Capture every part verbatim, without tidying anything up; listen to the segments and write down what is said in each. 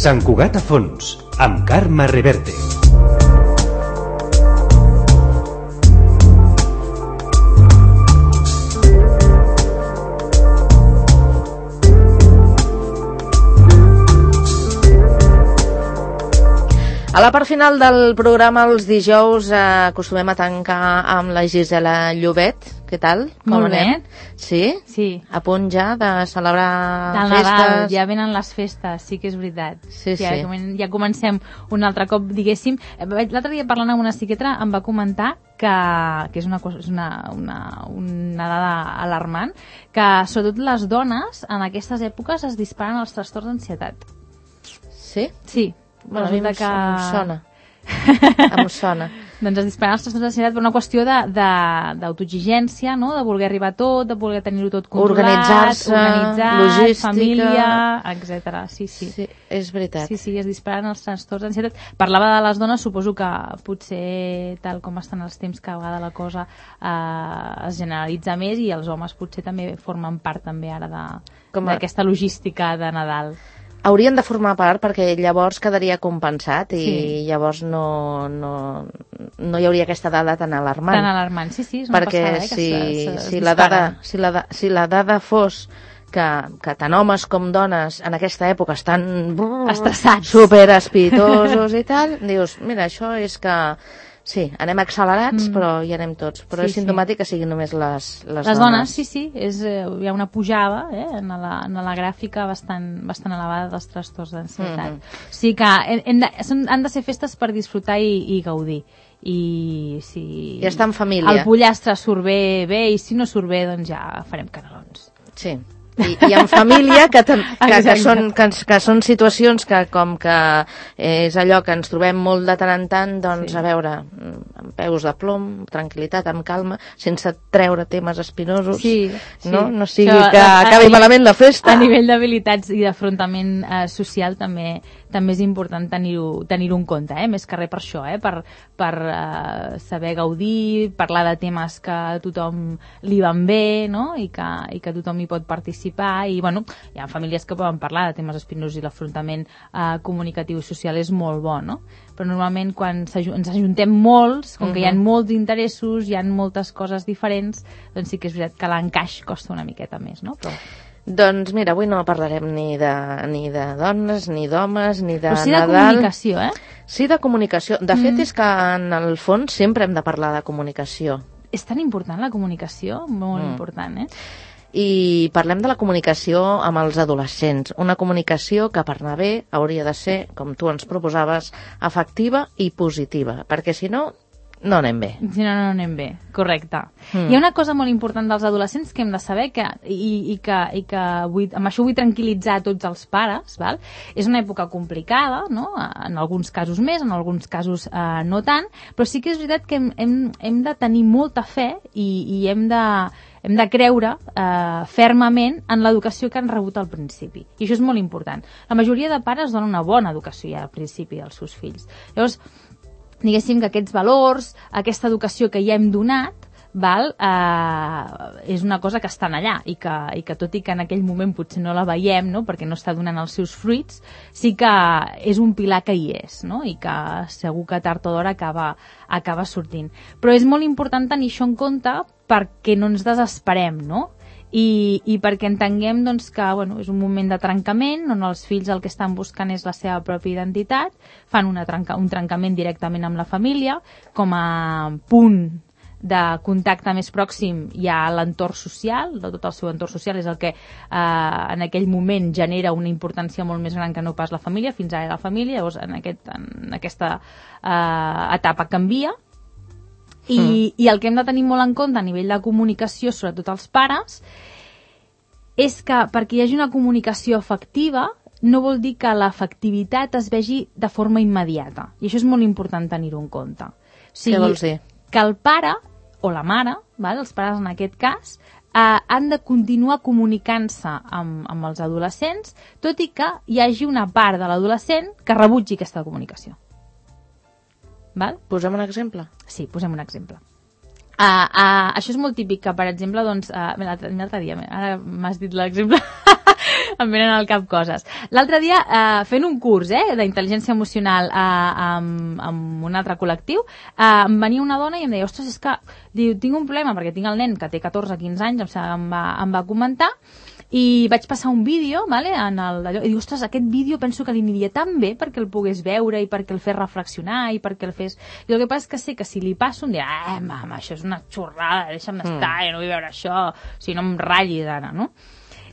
Sant Cugat a fons, amb Carme Reverte. A la part final del programa, els dijous, eh, acostumem a tancar amb la Gisela Llobet. Què tal? Com Molt anem? bé. Sí? Sí. A punt ja de celebrar Del festes? Nadal, ja venen les festes, sí que és veritat. Sí, ja, sí. comen- ja comencem un altre cop, diguéssim. L'altre dia parlant amb una psiquiatra em va comentar que, que és, una, cosa- és una, una, una dada alarmant, que sobretot les dones en aquestes èpoques es disparen els trastorns d'ansietat. Sí? Sí. Bueno, a mi em, Resulta que... em sona. Em sona. Doncs es disparen els trastorns d'ansietat per una qüestió de- de- d'autoexigència, no? De voler arribar a tot, de voler tenir-ho tot controlat, Organitzar-se, organitzat, logística. família, etcètera. Sí, sí. Sí, és veritat. Sí, sí, es disparen els trastorns d'ansietat. Parlava de les dones, suposo que potser, tal com estan els temps, que a vegades la cosa eh, es generalitza més i els homes potser també formen part també ara Com a- d'aquesta logística de Nadal. Haurien de formar part perquè llavors quedaria compensat i Sí. llavors no, no, no hi hauria aquesta dada tan alarmant. Tan alarmant, sí, sí, és una perquè passada, eh, que si, se- se- es si, la disparen. dada, si, la, da- si la dada fos que, que tant homes com dones en aquesta època estan brrr, Estressats. super espitosos i tal, dius, mira, això és que sí, anem accelerats, Mm. però hi anem tots. Però Sí, és sí. simptomàtic que siguin només les, les, Les dones, sí, sí, és, eh, hi ha una pujada eh, en, la, en la gràfica bastant, bastant elevada dels trastorns d'ansietat. Mhm. O sigui que hem, hem de, són, han de ser festes per disfrutar i, i gaudir. I si I estar en família. el pollastre surt bé, bé, i si no surt bé, doncs ja farem canelons. Sí. I, i en família, que, tam- que, que, Exacte. són, que, ens- que són situacions que com que és allò que ens trobem molt de tant en tant, doncs Sí. a veure, amb peus de plom, tranquil·litat, amb calma, sense treure temes espinosos, Sí, sí. no? No sigui Això, que a- a acabi nivell- malament la festa. A nivell d'habilitats i d'afrontament eh, social també també és important tenir-ho tenir en compte, eh? Més que res per això, eh? per, per eh, saber gaudir, parlar de temes que a tothom li van bé, no? I que, i que tothom hi pot participar, i bueno, hi ha famílies que poden parlar de temes espinosos i l'afrontament eh, comunicatiu i social és molt bo, no? Però normalment quan s'aju- ens ajuntem molts, com que hi ha Mhm. molts interessos, hi ha moltes coses diferents, doncs sí que és veritat que l'encaix costa una miqueta més, no? Però... Doncs mira, avui no parlarem ni de, ni de dones, ni d'homes, ni de Però sí de Nadal. comunicació, eh? Sí, de comunicació. De fet, Mm. és que en el fons sempre hem de parlar de comunicació. És tan important la comunicació, molt Mm. important, eh? I parlem de la comunicació amb els adolescents. Una comunicació que, per anar bé, hauria de ser, com tu ens proposaves, efectiva i positiva, perquè si no, no anem bé. Si no, no anem bé, correcte. Mm. Hi ha una cosa molt important dels adolescents que hem de saber que, i, i que, i que vull, amb això vull tranquil·litzar a tots els pares, val? És una època complicada, no? En alguns casos més, en alguns casos eh, no tant, però sí que és veritat que hem, hem, hem de tenir molta fe i, i hem de hem de creure eh, fermament en l'educació que han rebut al principi. I això és molt important. La majoria de pares donen una bona educació ja al principi als seus fills. Llavors, diguéssim que aquests valors, aquesta educació que ja hem donat, val, eh, és una cosa que estan allà i que, i que tot i que en aquell moment potser no la veiem, no?, perquè no està donant els seus fruits, sí que és un pilar que hi és, no?, i que segur que tard o d'hora acaba, acaba sortint. Però és molt important tenir això en compte perquè no ens desesperem, no?, i, i perquè entenguem doncs, que bueno, és un moment de trencament on els fills el que estan buscant és la seva pròpia identitat, fan una trenca, un trencament directament amb la família, com a punt de contacte més pròxim hi ha l'entorn social, de tot el seu entorn social és el que eh, en aquell moment genera una importància molt més gran que no pas la família, fins ara la família, llavors en, aquest, en aquesta eh, etapa canvia. I, mm. I el que hem de tenir molt en compte a nivell de comunicació, sobretot els pares, és que perquè hi hagi una comunicació efectiva no vol dir que l'efectivitat es vegi de forma immediata. I això és molt important tenir-ho en compte. O sigui, Què vols dir? Que el pare o la mare, val? Els pares en aquest cas, eh, han de continuar comunicant-se amb, amb els adolescents, tot i que hi hagi una part de l'adolescent que rebutgi aquesta comunicació. Val? Posem un exemple? Sí, posem un exemple. Uh, uh, això és molt típic que, per exemple, doncs, uh, l'altre dia, ara m'has dit l'exemple, em venen al cap coses. L'altre dia, eh, fent un curs eh, d'intel·ligència emocional eh, amb, amb un altre col·lectiu, eh, em venia una dona i em deia, ostres, és que diu, tinc un problema, perquè tinc el nen que té catorze o quinze anys, em va, em va comentar, i vaig passar un vídeo, vale, en el, allò, i diu, ostres, aquest vídeo penso que li aniria tan bé perquè el pogués veure i perquè el fes reflexionar i perquè el fes... I el que passa és que sé que si li passo em dirà, eh, mama, això és una xorrada, deixa'm mm. estar, jo no vull veure això, o sigui, no em ratllis ara, no?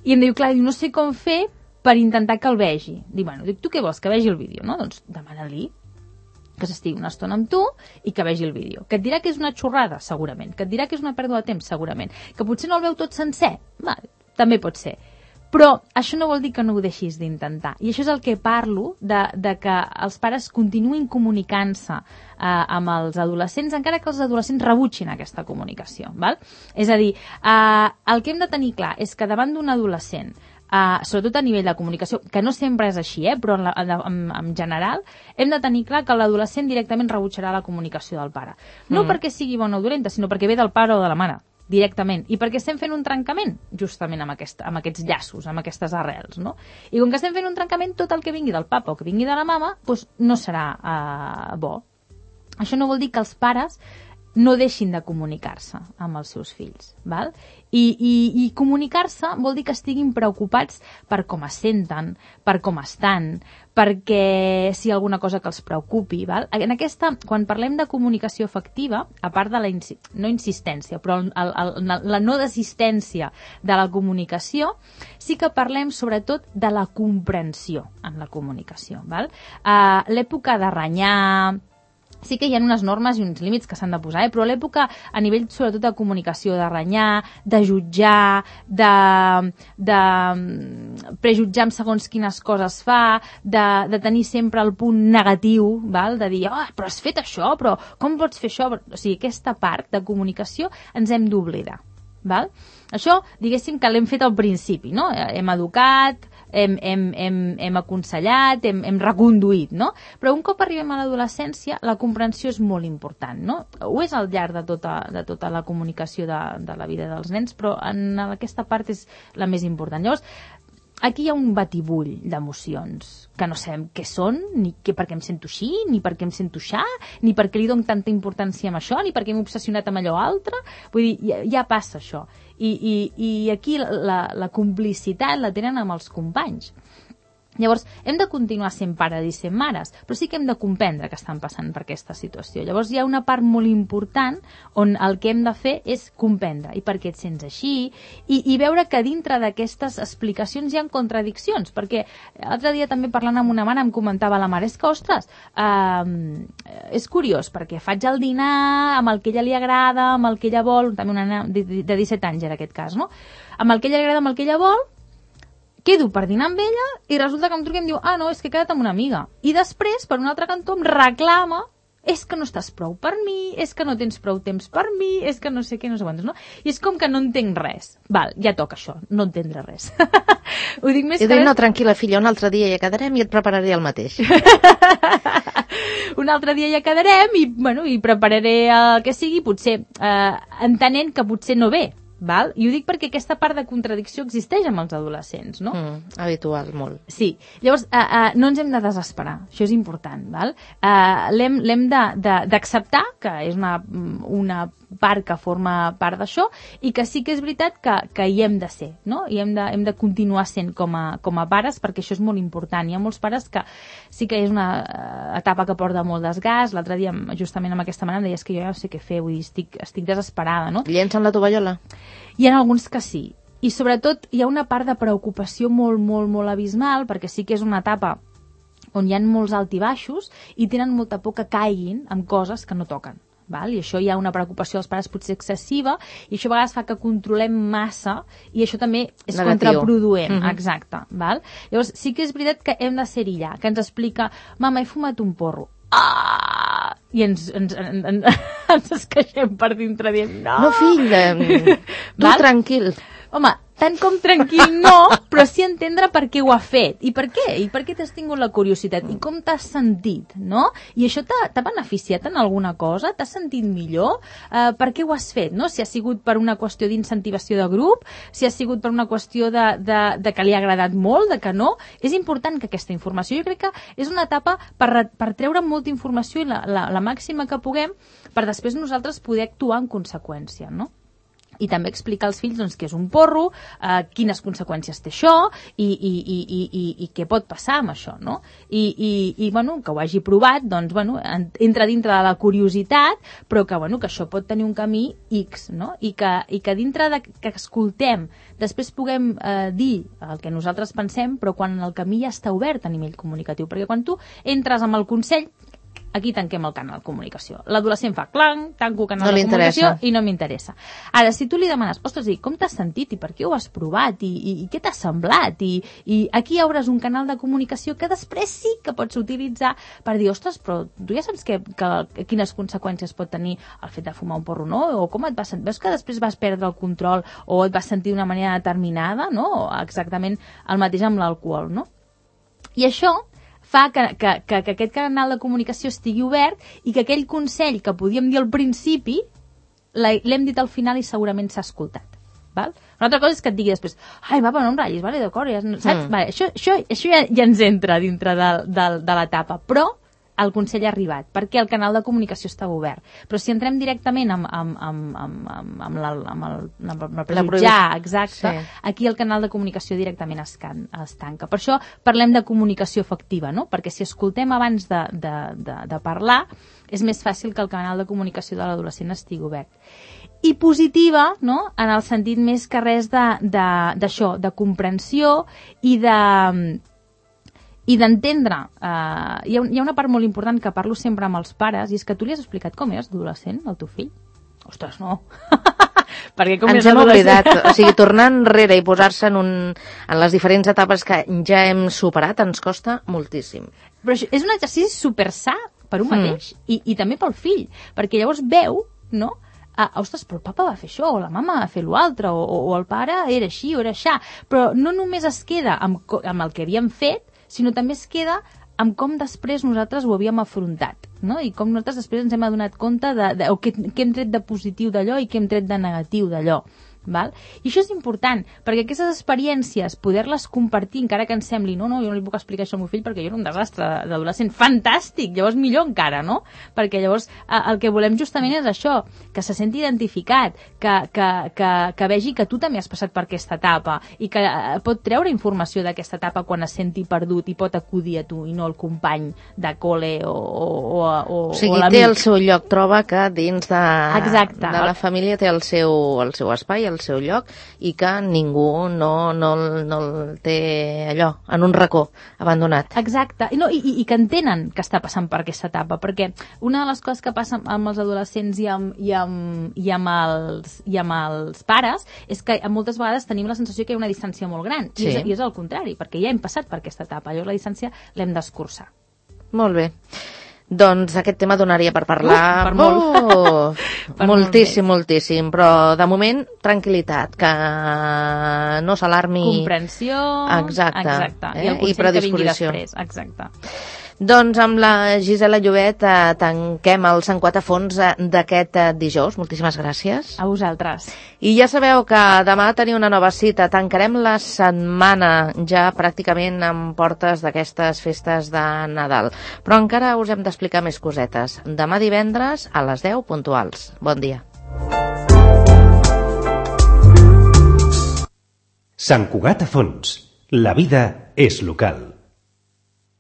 I em diu, clar, no sé com fer per intentar que el vegi. Dic, bueno, dic, tu què vols, que vegi el vídeo, no? Doncs demana-li que s'estigui una estona amb tu i que vegi el vídeo. Que et dirà que és una xorrada, segurament. Que et dirà que és una pèrdua de temps, segurament. Que potser no el veu tot sencer, vale, també pot ser. Però això no vol dir que no ho deixis d'intentar. I això és el que parlo, de, de que els pares continuïn comunicant-se eh, amb els adolescents, encara que els adolescents rebutgin aquesta comunicació. Val? És a dir, eh, el que hem de tenir clar és que davant d'un adolescent, Uh, sobretot a nivell de comunicació, que no sempre és així, eh, però en, la, en, en general, hem de tenir clar que l'adolescent directament rebutjarà la comunicació del pare. No mm. perquè sigui bona o dolenta, sinó perquè ve del pare o de la mare, directament. I perquè estem fent un trencament, justament amb, aquest, amb aquests llaços, amb aquestes arrels, no? I com que estem fent un trencament, tot el que vingui del papa o que vingui de la mama, doncs no serà uh, bo. Això no vol dir que els pares no deixin de comunicar-se amb els seus fills, val? I, i, i comunicar-se vol dir que estiguin preocupats per com es senten, per com estan, perquè si hi ha alguna cosa que els preocupi, val? En aquesta, quan parlem de comunicació efectiva, a part de la insi- no insistència, però el, el, la no desistència de la comunicació, sí que parlem sobretot de la comprensió en la comunicació, val? Uh, l'època de renyar, sí que hi ha unes normes i uns límits que s'han de posar, eh? Però a l'època, a nivell sobretot de comunicació, de renyar, de jutjar, de, de prejutjar amb segons quines coses fa, de, de tenir sempre el punt negatiu, val? De dir, oh, però has fet això, però com pots fer això? O sigui, aquesta part de comunicació ens hem d'oblidar. Val? Això, diguéssim que l'hem fet al principi, no? Hem educat, hem, hem, hem, hem aconsellat, hem, hem reconduït, no? Però un cop arribem a l'adolescència, la comprensió és molt important, no? Ho és al llarg de tota, de tota la comunicació de, de la vida dels nens, però en aquesta part és la més important. Llavors, aquí hi ha un batibull d'emocions que no sabem què són, ni que per què em sento així, ni per què em sento aixà, ni per què li dono tanta importància a això, ni per què m'he obsessionat amb allò altre. Vull dir, ja, ja passa això. I, i, i aquí la, la complicitat la tenen amb els companys. Llavors, hem de continuar sent pares i sent mares, però sí que hem de comprendre que estan passant per aquesta situació. Llavors, hi ha una part molt important on el que hem de fer és comprendre i per què et sents així i, i veure que dintre d'aquestes explicacions hi ha contradiccions, perquè l'altre dia també parlant amb una mare em comentava la mare, és que, ostres, eh, és curiós, perquè faig el dinar amb el que ella li agrada, amb el que ella vol, també una nena de, de disset anys era aquest cas, no? Amb el que ella li agrada, amb el que ella vol, quedo per dinar amb ella i resulta que em truca i em diu, ah, no, és que he quedat amb una amiga. I després, per un altre cantó, em reclama, és que no estàs prou per mi, és que no tens prou temps per mi, és que no sé què, no sé quantos, no? I és com que no entenc res. Val, ja toca això, no entendre res. Ho dic més I que dic, res... no, tranquil·la, filla, un altre dia ja quedarem i et prepararé el mateix. Un altre dia ja quedarem i, bueno, i prepararé el que sigui, potser eh, entenent que potser no ve. Val? I ho dic perquè aquesta part de contradicció existeix amb els adolescents, no? Mm, habitual, molt. Sí. Llavors, uh, uh, no ens hem de desesperar. Això és important, val? Uh, l'hem l'hem d'acceptar, que és una, una part que forma part d'això, i que sí que és veritat que, que hi hem de ser, no? I hem de, hem de continuar sent com a, com a pares, perquè això és molt important. Hi ha molts pares que sí que és una uh, etapa que porta molt desgast. L'altre dia, justament amb aquesta manera, em deies que jo ja no sé què fer, vull dir, estic, estic desesperada, no? Llencen la tovallola? Hi ha alguns que sí. I sobretot hi ha una part de preocupació molt, molt, molt abismal, perquè sí que és una etapa on hi ha molts alt i baixos i tenen molta por que caiguin amb coses que no toquen. Val? I això hi ha una preocupació dels pares potser excessiva i això a vegades fa que controlem massa i això també és negatiu, contraproduent. Mm-hmm. Exacte. Val? Llavors sí que és veritat que hem de ser allà, que ens explica, mama, he fumat un porro. Ah! I ens, ens, ens, ens, ens esqueixem per dintre dient, no! No, fill, tu tranquil. home, tant com tranquil no, però sí entendre per què ho ha fet. I per què? I per què t'has tingut la curiositat? I com t'has sentit, no? I això t'ha beneficiat en alguna cosa? T'has sentit millor? Uh, per què ho has fet, no? Si ha sigut per una qüestió d'incentivació de grup, si ha sigut per una qüestió de, de, de que li ha agradat molt, de que no. És important que aquesta informació, jo crec que és una etapa per, per treure molta informació i la, la, la màxima que puguem per després nosaltres poder actuar en conseqüència, no? I també explicar als fills doncs, què és un porro, eh, quines conseqüències té això i, i, i, i, i, i què pot passar amb això, no? I, i, i bueno, que ho hagi provat, doncs, bueno, entra dintre de la curiositat, però que, bueno, que això pot tenir un camí X, no? I que, i que dintre de que escoltem, després puguem eh, dir el que nosaltres pensem, però quan el camí ja està obert a nivell comunicatiu, perquè quan tu entres amb el consell, aquí tanquem el canal de comunicació. L'adolescent fa clang, tanco el canal no de comunicació interessa. I no m'interessa. Ara, si tu li demanes, ostres, i com t'has sentit i per què ho has provat i, i, i què t'ha semblat i, i aquí obres un canal de comunicació que després sí que pots utilitzar per dir, ostres, però tu ja saps que, que, quines conseqüències pot tenir el fet de fumar un porro, no? O com et vas sentir? Veus que després vas perdre el control o et vas sentir d'una manera determinada, no? O exactament el mateix amb l'alcohol, no? I això fa que, que, que, que aquest canal de comunicació estigui obert i que aquell consell que podíem dir al principi l'hem dit al final i segurament s'ha escoltat. Val? Una altra cosa és que et digui després, ai, va, no em ratllis, vale, d'acord, ja, saps? Mm. Vale, això això, això ja, ja ens entra dintre de, de, de l'etapa, però el consell ha arribat, perquè el canal de comunicació està obert. Però si entrem directament amb, amb, amb, amb, amb, amb, la, amb el, amb el prejutjar, exacte, sí. Aquí el canal de comunicació directament es, can, es tanca. Per això parlem de comunicació efectiva, no? Perquè si escoltem abans de, de, de, de parlar, és més fàcil que el canal de comunicació de l'adolescent estigui obert. I positiva, no? En el sentit més que res d'això, de, de, de comprensió i de... i d'entendre, eh, hi, ha, hi ha una part molt important que parlo sempre amb els pares, i és que tu li has explicat com és adolescent, al teu fill? Ostres, no. Perquè com ens hem oblidat, o sigui, tornar enrere i posar-se en, un, en les diferents etapes que ja hem superat ens costa moltíssim. Però això és un exercici super sa per un mateix, mm. i, i també pel fill, perquè llavors veu, no?, ah, ostres, però el papa va fer això, o la mama va fer l'altre, o, o el pare era així o era aixà, però no només es queda amb, amb el que havíem fet, sinó també es queda amb com després nosaltres ho havíem afrontat, no? I com nosaltres després ens hem adonat compte de, de, o què, què hem tret de positiu d'allò i què hem tret de negatiu d'allò. Val? I això és important, perquè aquestes experiències, poder-les compartir, encara que ens sembli, no, no, jo no li puc explicar això al meu fill perquè jo era un desastre d'adolescent, fantàstic, llavors millor encara, no? Perquè llavors eh, el que volem justament és això, que se senti identificat, que, que, que, que vegi que tu també has passat per aquesta etapa i que eh, pot treure informació d'aquesta etapa quan es senti perdut i pot acudir a tu i no al company de col·le o, o, o, o, o sigui, o l'amic. té el seu lloc, troba que dins de, Exacte. de la família té el seu, el seu espai, el seu lloc, i que ningú no, no, no el té allò, en un racó, abandonat. Exacte, I, no, i, i que entenen que està passant per aquesta etapa, perquè una de les coses que passa amb els adolescents i amb, i amb, i amb, els, i amb els pares és que moltes vegades tenim la sensació que hi ha una distància molt gran, sí. i, és, i és el contrari, perquè ja hem passat per aquesta etapa, llavors la distància l'hem d'escurçar. Molt bé. Doncs aquest tema donaria per parlar uh, per molt. Oh, per moltíssim, molt moltíssim, però de moment tranquil·litat, que no s'alarmi. Comprensió, exacte, exacte. Eh? I el consell I predisposició. que vingui després, exacte. Doncs amb la Gisela Llobet eh, tanquem el Sant Quatre Fons eh, d'aquest eh, dijous. Moltíssimes gràcies. A vosaltres. I ja sabeu que demà teniu una nova cita. Tancarem la setmana ja pràcticament amb portes d'aquestes festes de Nadal. Però encara us hem d'explicar més cosetes. Demà divendres a les deu puntuals. Bon dia. Sant Cugat a Fons. La vida és local.